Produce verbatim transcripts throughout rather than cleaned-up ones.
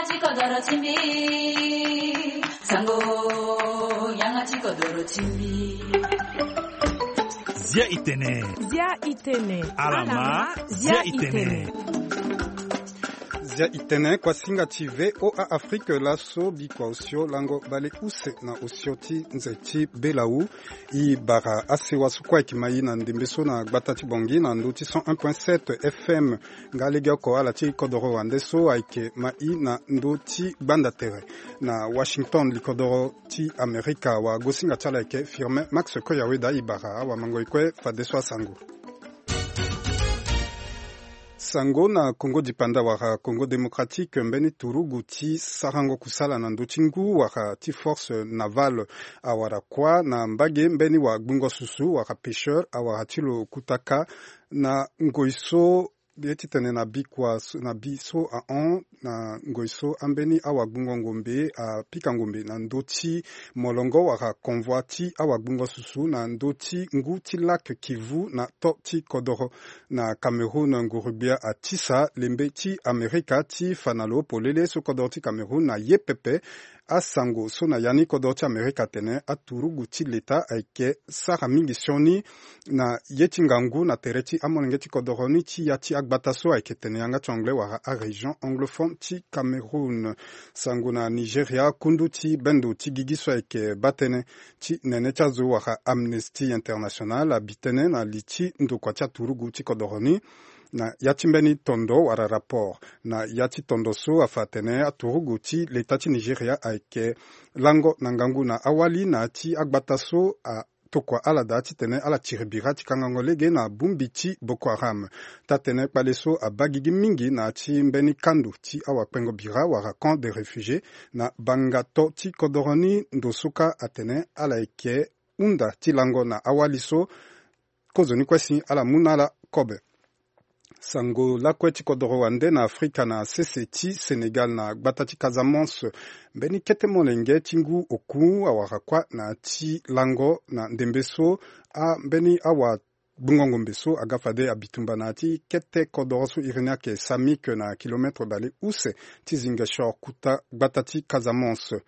Ti kodoro ti mbi, sango, yanga ti kodoro ti mbi. Zia itene. Zia itene. Alama, zia itene. Zia itene, kuasinga ti V O A Afrique, laso bikua osio lango bale use na osio ti nze ti Belau. I bara asewa so kue ayeke ma i na ndembe so na gbata ti Bangui na ndö ti cent un point sept F M. Nga legeoko ala ti kodoro wande so ayeke ma i na ndö ti gbanda tere na Washington, likodoro ti Amerika. Wagosinga ti ala ayeke Firmin Max Koyaweda. I bara awamangoi kue fadeso asango. Sango na Congo dipanda wala Congo démocratique, mbeni turugu ti sarango kusala na ndö ti ngu wala ti force navale awara kuâ na mbage mbeni wagbungo susu wala pêcheur awara ti lo kutaka na ngoi so ye titene na bikua so, na bi so ahon na ngoi so ambeni awagbungo ngombe apika ngombe na ndö ti molongo wala convoi ti awagbungo susu na ndö ti ngu ti lac Kivu na to ti kodoro. Na Cameroun, nguru-gbia atisa lembe ti Amerika ti fa na lo polele so kodoro ti Cameroun na ye pepe. Asango so na ya ni kodoro ti Amerika atene aturugu ti leta ayeke sara mingi sioni na ye ti ngangu na tere ti amolenge ti kodoro ni ti ya ti agbata so ayeke tene yanga ti anglais wala arégion anglophone ti Cameroun. Sango na Nigeria, kundu ti bendo ti gigi so ayeke baa tënë ti nene ti azo wala Amnesty International abi tënë na li ti ndokua ti aturugu ti kodoro ni na ya ti mbeni tondo wala rapport. Na ya ti tondo so afa atene aturugu ti leta ti Nigeria ayeke lango na ngangu na awali na ya ti agbata so atokua ala daa titene ala tiri bira ti kangango lege na bongbi ti Boko Haram. Taa-tënë kpale so abaa gigi mingi na ya ti mbeni kando ti awakpengo bira wala camp de réfugiés na banga to ti kodoro ni. Ndo so kâ atene ala yeke hunda ti lango na awali so kozoni kue si ala mu na ala kobe. Sango lakue ti kodoro wande na Afrika na sese ti Sénégal na gbata ti Casamance. Mbeni kete molenge ti ngu oku awara kuâ na ya ti lango na ndembe so ambeni awagbungo ngombe so aga fade abitumba na ya ti kete kodoro so iri ni ayeke Samic na kilomètre bale use ti Ziguinchor kota gbata ti Casamance.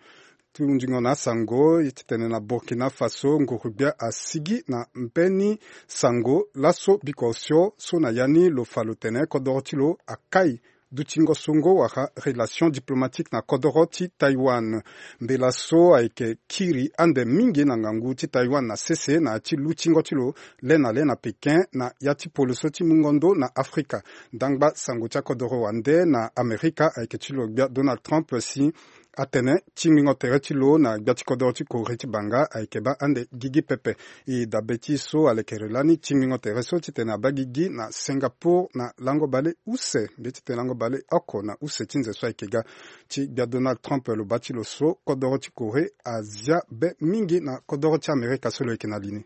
Ti hunzingo na asango ye titene na Burkina Faso, nguru-gbia asigi na mbeni sango laso bikua osio so na ya ni lo fa lo tene kodoro ti lo akai dutingo songo wala relation diplomatique na kodoro ti Taïwan. Mbela so ayeke kiri ande mingi na ngangu ti Taïwan na sese na ya ti lutingo ti lo le na le na Pékin na ya ti poloso ti mungo ndo na Afrika. Ndangba sango ti akodoro wande na Amerika ayeke ti lo gbia Donald Trump si atene tingbingo tere ti lo na gbia ti kodoro ti Corée ti banga ayeke baa ande gigi pepe. E dabe ti so alekere lani tingbingo tere so titene abaa gigi na Singapour na lango bale use mbi titene lango bale oko na use ti nze so ayeke ga. Ti gbia Donald Trump lo baa ti lo so kodoro ti Corée azia be mingi na kodoro ti Amerika so lo yeke na li ni.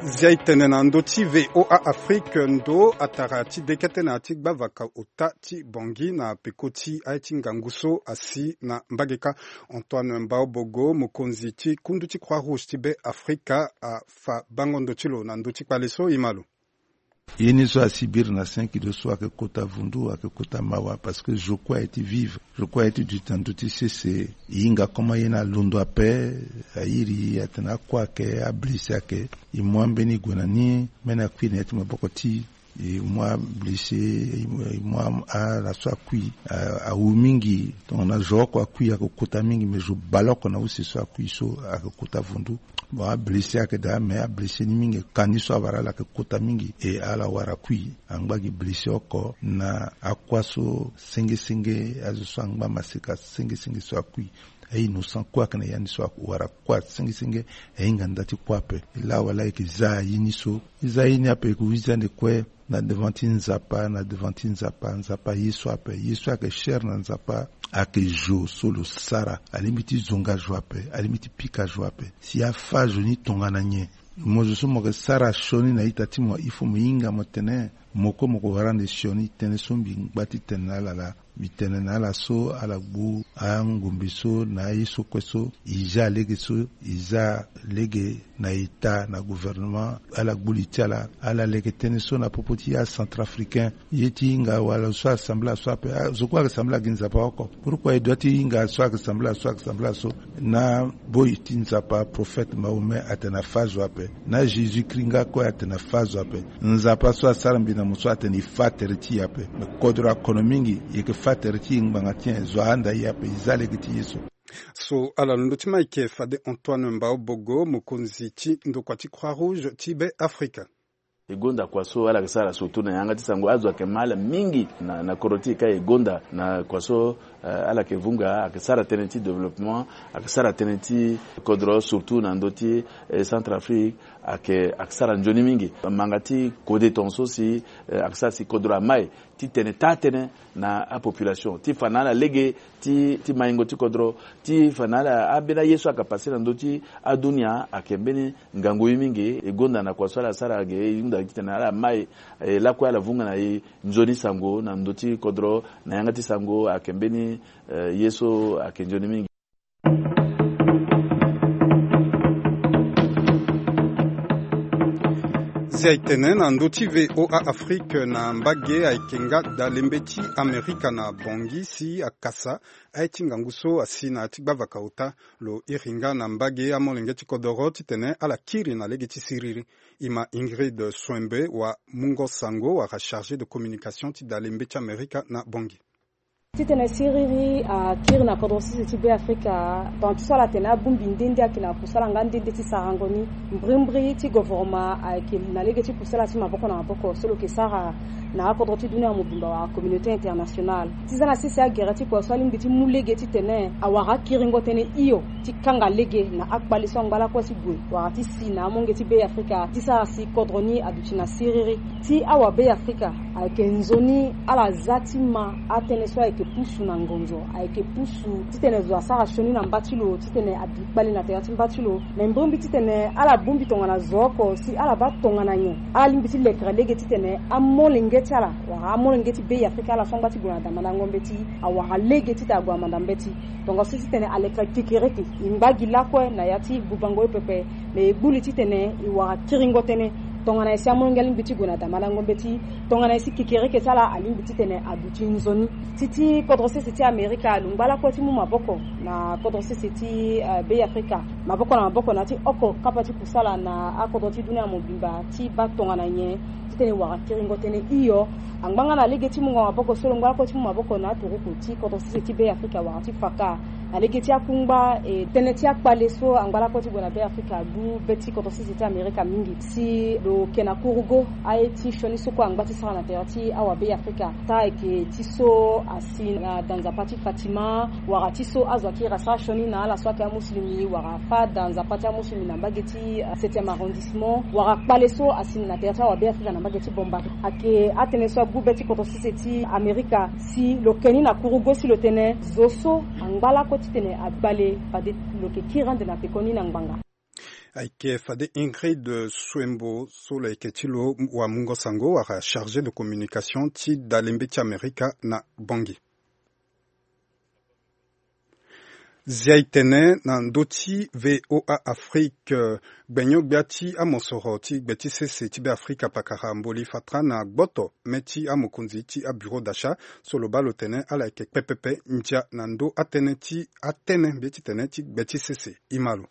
Zia e tene na ndö ti V O A Afrique, ndo atara ti dekete na ya ti gbavaka ota ti Bangui na peko ti aye ti ngangu so asi na mbage kâ. Antoine Mbaobogo, mokonzi ti kundu ti Croix Rouge ti Be Afrika, afa bango ndo ti lo na ndö ti kpale so e ma lo. Ye ni so asi biri na cinq kilos so ayeke kota vundu, ayeke kota mawa, parce que zo kue aye ti vivre, zo kue aye ti duti na ndö ti sese. E hinga koma ye ni alondo ape, a iri atene akue ayeke, ablessé ayeke. E mu ambeni gue na ni, mbeni akui na ya ti maboko ti e. E mu ablessé, e mu, e mu a, ala so akui, a, awu mingi. Tongana zo oko akui ayeke kota mingi, mais zo bale oko na use so akui so ayeke kota vundu. Bon, ablessé ayeke daa, mais ablessé ni mingi, ka ni so awara ala ayeke kota mingi, e ala wara kui. Angba gi blessé oko na akua so senge senge, azo so angba maseka senge senge so akui. A-innocent kue ayeke na ya ni so awara kua senge senge, ahinga nda ti kue ape. E laa wala e yeke za aye ni so, e za aye ni ape e yeke wizi ande kue. Na devant ti Nzapa, na devant ti Nzapa, Nzapa ye so ape, ye so ayeke cher na Nzapa, ayeke zo so lo sara. Alingbi ti zonga zo ape, alingbi ti pika zo ape. Si afa zo ni tongana nyen? Mo zo so mo yeke sara sioni na ita ti mo, il faut mo hinga mo tene mo kue mo ko wara ande sioni. Tënë so mbi ngba ti tene na ala laa. Mbi tene na ala so ala gbu angombe so na aye so kue so, e za lege so e za lege na eta na gouvernement, ala gbu li ti ala ala leke tënë so na popo ti acentrafricain. Ye ti hinga wala so asambla so ape, ah, zo kue ayeke sambla gi Nzapa oko. Pourquoi e doit ti hinga so ayeke sambla so ayeke sambla so? Na boi ti Nzapa, prophète Mahomet atene afa zo ape. Na Jésus Christ nga kue atene afa zo ape. Nzapa so asara mbi na mo so atene e fa tere ti e ape. Me kodro akono mingi, e yeke fa tere ti e ngbanga ti nyen? Zo ahanda e ape, e za lege ti ye so. So ala londo ti ma e yeke fade Antoine Mbao Bogo, mokonzi ti ndokua ti Croix Rouge ti Be Afrika. E gonda kua so ala yeke sara surtout na yanga ti sango, azo ayeke ma ala mingi na, na kodro ti e ka. E gonda na kua so, eh, ala yeke vunga, ayeke sara tënë ti développement, ayeke sara tënë ti kodro, surtout na ndö ti, eh, Centrafrique, ayeke, ayeke sara nzoni mingi. Manga ti kode tongaso si, eh, ayeke sara si kodro amai ti tene taa-tënë na apopulation, ti fa na ala lege ti, ti maingo ti kodro, ti fa na ala ambeni aye so ayeke passé na ndö ti adunia ayeke mbeni ngangu ye mingi. E gonda na kua so ala sara ge, e hunda titene ala mai, eh, lakue ala vunga na e nzoni sango na ndö ti kodro, na yanga ti sango ayeke mbeni, eh, ye so ayeke nzoni mingi. Zia e tene na ndö ti V O A Afrique na mbage ayeke nga dalembe ti Amerika na Bangui si akasa aye ti ngangu so asi na ya ti gbavaka ota. Lo iri nga na mbage amolenge ti kodoro titene ala kiri na lege ti siriri. E ma Ingrid Swembe wa mungo sango wala chargé de communication ti dalembe ti Amerika na Bangui. Titene siriri akiri na kodro sese ti Be Afrika, tonga ti so ala tene abongbi nde nde ayeke na kusala nga nde nde ti sarango ni. Mbrimbri ti govoroma ayeke na lege ti kusala ti maboko na maboko so lo yeke sara na akodro ti dunia mobimba wala communauté internationale. Ti za na sese agere ti kua so alingbi ti mu lege titene awara akiringo tënë hio ti kanga lege na akpale so angba lakue ti gue wala ti si na amolenge ti Be Afrika ti sara si kodro ni aduti na siriri. Ti awa Be Afrika ayeke nzoni ala za ti ma atënë so ayeke pusu na ngonzo, ayeke pusu titene zo asara sioni na mba ti lo titene abi kpale na tere ti mba ti lo. Me mbrimbri titene ala bongbi tongana zo oko si ala baa tongana nyen ala lingbi ti lekere lege titene amolenge ti ala wala amolenge ti Be Afrika, ala so angba ti gue na damanda ngo mbeti, awara lege titene ague na manda mbeti. Tongaso titene alekere kekereke, e ngba gi lakue na ya ti bubango ye pepe. Me e gbu li titene e wara kiringo tënë tongana nyen si amolenge alingbi ti gue na damalango mbeti, tongana nyen si kekereke ti ala alingbi titene aduti nzoni. Ti ti kodro sese ti Amerika lo ngba lakue ti mu maboko na kodro sese ti, eh, Be Afrika, maboko na maboko na ya ti oko kapa ti kusala na akodro ti dunia mobimba ti baa tongana nyen titene e wara kiringo tënë hio. Angba nga na lege ti mungo maboko so lo ngba lakue ti mu maboko na aturuku ti kodro sese ti Be Afrika wala ti faka na lege ti akungba, e, tënë ti akpale so angba lakue ti gue na Be Afrika agbu be ti kodro sese ti Amerika mingi. Si lo yeke na kurugo aye ti sioni so kue angba ti sara na tere ti awa Be Afrika, taa ayeke ti so asi na da nzapa ti Fatima, wala ti so azo akiri asara sioni na ala so ayeke amusulumi wala afâ da nzapa ti amusulumi na mbage ti, eh, septième arrondissement, wala kpale so asi na tere ti awa Be Afrika na mbage ti Bombari. Ayeke atënë so agbu be ti kodro sese ti Amerika si lo ke ni na kurugo si lo tene zo so angba lakue titene akpale fade lo yeke kiri ande na pekoni na ngbanga. Ayeke fade Ingrid Swembo so lo yeke ti lo wamungo sango wala chargé de communication ti dalembe ti Amerika na Bangui. Zia e tene na ndö ti V O A Afrique, eh, gbenyo-gbia ti amosoro ti gbe ti sese ti Be Afrika pakara Mboli Fatra na gboto me ti amokonzi ti abureau d'achat so lo baa lo tene ala yeke kpe pepe ndia na ndö atënë ti atënë mbi ye ti tene ti gbe ti sese. E ma lo.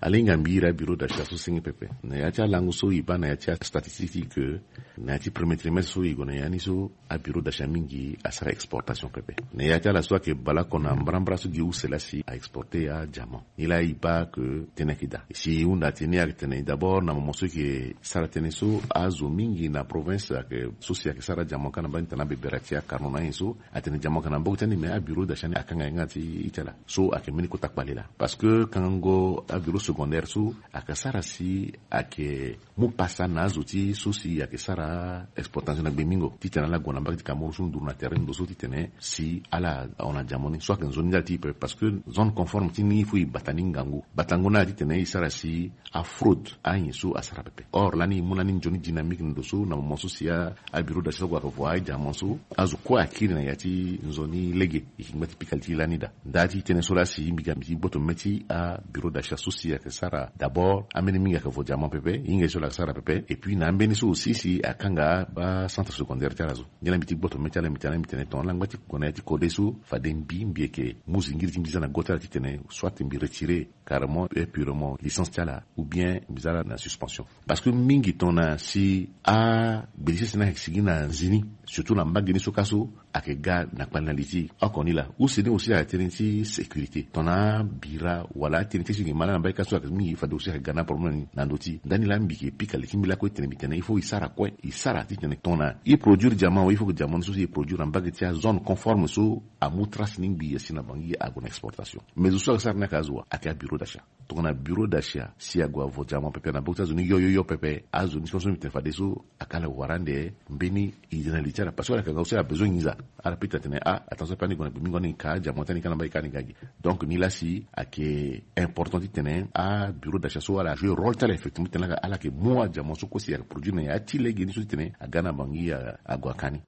Alingbi mbi iri abureau d'achat so senge pepe na ya ti alango so e baa na ya ti astatistique ti e ke na ya ti premier trimestre so e gue na ya ni so abureau d'achat mingi asara exportation pepe. Na ya ti ala so ayeke baleoko na mbrambra so gi use laa si a exporter adiamant. Nilaa e baa ke tënë ayeke daa. Si e hunda ti ni ayeke tene d'abord na moment so e yeke sara tënë so azo mingi na province ayeke so si ayeke sara diamant ka na mbage ti tana bebera ti akarno na anyen so atene diamant ayeke na maboko ti ani me abureau d'achat ni akanga yanga ti e ti ala. So ayeke mbeni kota kpale laa parce que kangango abureau Gondere so ayeke sara si ayeke mu pasa na azo ti so si ayeke sara exportation na gbengbingo titene ala gue na mbage ti Cameroun so nduru na tere ndo so titene si ala hon na diamant ni so ayeke nzoni ndali ti e pepe parce que zone conforme ti ni il faut e bata ni ngangu. Batango ni ala titene e sara si afraude anyen so asara pepe. Or lani e mu lani nzoni dynamique na ndo so na moment so si abureau d'achat so ague ayeke vo adiamant so azo kue akiri na ya ti nzoni lege. E yeke ngba ti pika li ti e lani daa. Nda ti tënë so laa si mbi ga mbi ti gboto mê ti abureau d'achat so si ayeke sara d'abord ambeni mingi ayeke vo diamant pepe, e hinga ye so ala yeke sara pepe. Et puis na ambeni so aussi si akanga acentre secondaire ti ala so. Ngia laa mbi ti gboto mê ti ala mbi tene mbi tene tongana ala ngba ti gue na ya ti kode so fade mbi mbi yeke mu zingiri ti mbi za na go ti ala titene soit mbi retire carrément et purement licence ti ala ou bien mbi za ala na suspension. Parce que mingi tongana si agbedi sese ni ayeke sigi na nzi ni surtout na mbage ni so ka so ayeke ga na kpali na li ti e. Oko ni laa use ni aussi ayeke tënë ti sécurité tongana bira wala atënë ti e so e yeke ma laa na mbage ka so ayeke mingi fade aussi ayeke ga na problème ni na ndö ti e. Ndani laa mbi yeke pika li ti mbi lakue titene mbi tene il faut e sara kue e sara titene tongana e produire diamant awe il faut que diamant ni so si e produire na mbage ti azone conforme so amu trace ni ngbii asi na bangi ague na exportation. Mais zo so ayeke sara ni ayeke azo wa ayeke abureau d'achat. Tongana bureau d'achat si ague avo diamant pepe na mbage ti azo ni yo yo yo pepe azo ni so so mbi tene fadeso ayeke ala wara ande mbeni e zi na li ti ala parce que ala yeke nga aussi ala besoin nginza. Ala peut ti atene ah attention ape ani gue na gbengbingo ani ka diamant ti ani ka na mbage ka ani ga gi. Donc ni laa si ayeke important titene abureau d'achat so ala joue rôle ti ala effectivement titene ala yeke mu adiamant so kue si ayeke produire na ya ti lege ni so titene aga na bangi ague aka ni.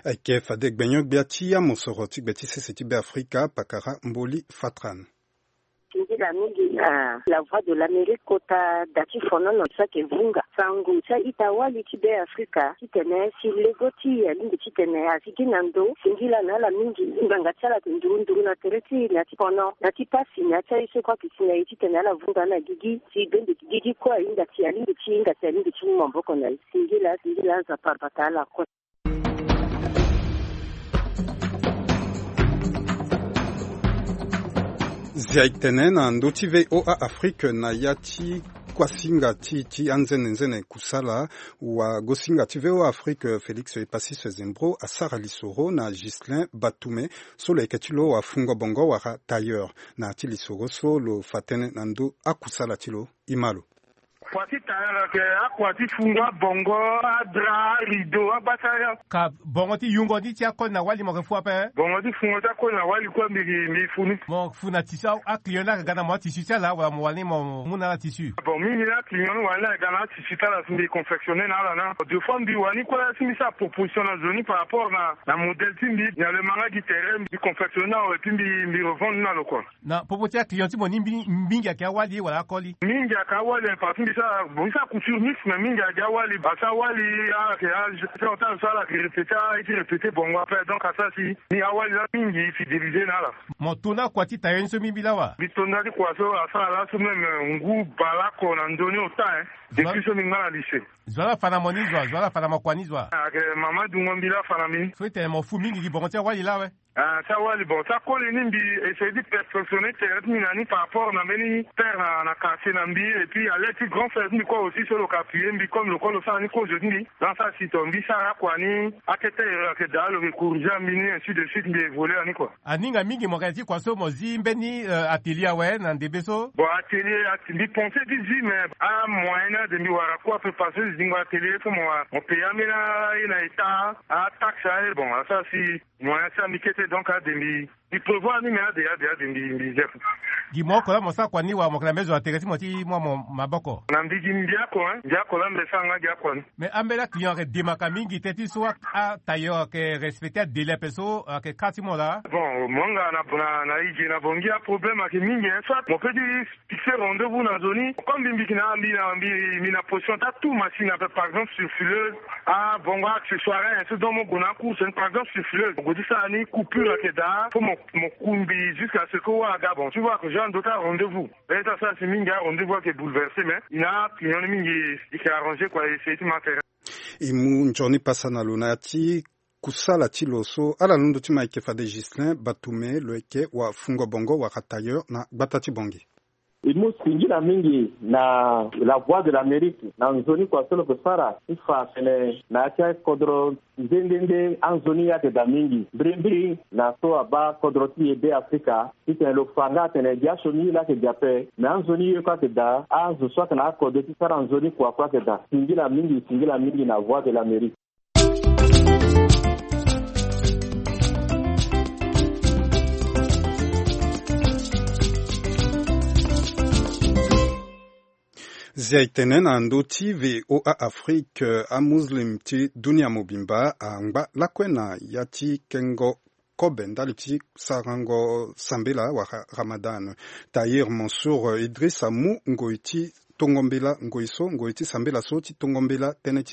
Ayeke fade gbenyo-gbia ti amosoro ti gbe ti sese ti Beafrika pakara Mboli Fatran. Singila mingi na La Voix de l'Amérique kota da ti fonono so ayeke vunga sango ti a-ita-wali ti Beafrika titene si lego ti e alingbi titene azigi na ndo. Singila na ala mingi ngbanga ti ala ayeke nduru nduru na tere ti e na ya ti fono na ya ti pasi na ya ti aye so kue ayeke si na e titene ala vunga na gigi si bende gigi kue ahinga si alingbi ti hinga si alingbi ti mu maboko na e. Singila singila Nzapa abata ala kue. Zia e tene na ndö ti V O A Afrique na ya ti kuasinga ti e ti anzene nzene kusala. Wagosinga ti V O A Afrique Félix Epasis Zembro asara lisoro na Ghislain Batume so lo yeke ti lo wafungo bongo wala tailleur. Na ya ti lisoro so lo fa tënë na ndö akusala ti lo. E ma lo. Kua ti tara lo yeke akua ti fungo abongo, adra, arideau, abata. Ka bongo ti yungo ni ti akoli na wali mo yeke fu ape? Bongo ti fungo ti akoli na wali kue mbi mbi fu ni. Mo fu na tissu, aclient ni ayeke ga na mo atisi ti ala wala mo wani mo mu na ala tissu? Bon mingi ni aclient ni wani ni ayeke ga na atisi ti ala si mbi confectionner na ala na deux fois mbi wani kue si mbi sara proposition na zo ni par rapport na na modèle ti mbi. Nyaa lo ma nga gi tere mbi confectionner na lo et puis mbi mbi revendre ni na lo kua. Na popo ti aclient ti mo ni mingi ayeke awali wala akoli? Mingi ayeke awali parce que mbi sara bon mbi sara couture mix mais mingi ayeke awali parce que awali ala yeke age ti ota so ala yeke répéter ala ye ti répéter bongo après donc asara si ni awali laa mingi fidéliser na ala. Mo to na kua ti tailleur ni so mbi mbi laa wa? Mbi to nda ti kua so asara laso même ngu baleoko na ndö ni ota hein. Depuis so mbi ngba na lycée. Zo ala fa na mo ni zo zo ala fa na mo kua ni zo. Ayeke mama dungo mbi laa fa na mbi ni. So e tene mo fu mingi gi bongo ti awali laa awe? Ah ti awali bon ti akoli ni mbi essayer ti perfectionner tere ti mbi na ni par rapport na mbeni terre na na quartier na mbi et puis alerte ti grand frère ti mbi kue aussi so lo ka appuyer mbi comme lo kue lo sara ni kozo ti mbi. Dans sa si to mbi sara akua ni akete ero ayeke daa lo yeke corriger mbi ni ainsi de suite mbi évoluer na ni kua. Aninga mingi mo yeke na ya ti kua so mo zi mbeni atelier awe na ndembe so? Bon atelier mbi pense ti zi mais amoyen ni ade mbi wara kue ape parce que zingo atelier so mo wara mo payer ambeni aye na état ataxe aye bon asara si moyen ti ambi kete donc ade mbi mbi prévoir ni mais ade ade ade mbi mbi zia. Gi mo oko laa mo sara kua ni wala mo yeke na mbeni zo na tere ti mo ti mu amo maboko? Na mbi gi mbi oko hein mbi oko laa mbi sara nga gi akua ni. Mais ambeni aclient ayeke demaka mingi teti so atailleur ayeke respecter adélai ape so ayeke kâ ti mo laa? Bon mo nga na na na e ge na bongi aproblème ayeke mingi hein soit mo peut ti fixer rendez-vous na zo ni comme mbi mbi yeke na mbi na mbi mbi na position ti atu machine ape par exemple sur fileuse. Ah bongo accessoire hein so donc mo gue na acourse ni par exemple sur fileuse mo gue ti sara ni coupure ayeke daa fo mo mo ku mbi jusqu'à ce que wâ aga bon tu vois que genre ndö ti arendez-vous. Be ti asara si mingi arendez-vous ayeke bouleverser mais e na aclient ni mingi e yeke arranger kua e essayer ti ma tere. E mu nzoni pasa na lo na ya ti kusala ti lo so ala londo ti ma e yeke fade Ghislain Batume lo yeke wafungo bongo wala tailleur na gbata ti Bangui. E mu singila mingi na La Voix de l'Amérique na nzoni kua so lo yeke sara ti fa atene na ya ti akodro nde nde nde anzoni ayeke daa mingi. Mbirimbiri na so abaa kodro ti e Be Afrika titene lo fa nga atene biasioni ye laa ayeke daa ape, me anzoni ye kue ayeke daa. Azo so ayeke na akodro ti sara nzoni kua kue ayeke daa. Singila mingi, singila mingi na Voix de l'Amérique. Zia e tene na ndö ti V O A Afrique, amuslim ti dunia mobimba angba lakue na ya ti kengo kobe ndali ti sarango sambela wala Ramadan. Tahir Mansour Idriss amu ngoi ti tongo mbela, ngoi so ngoi ti sambela so ti tongo mbela tënë ti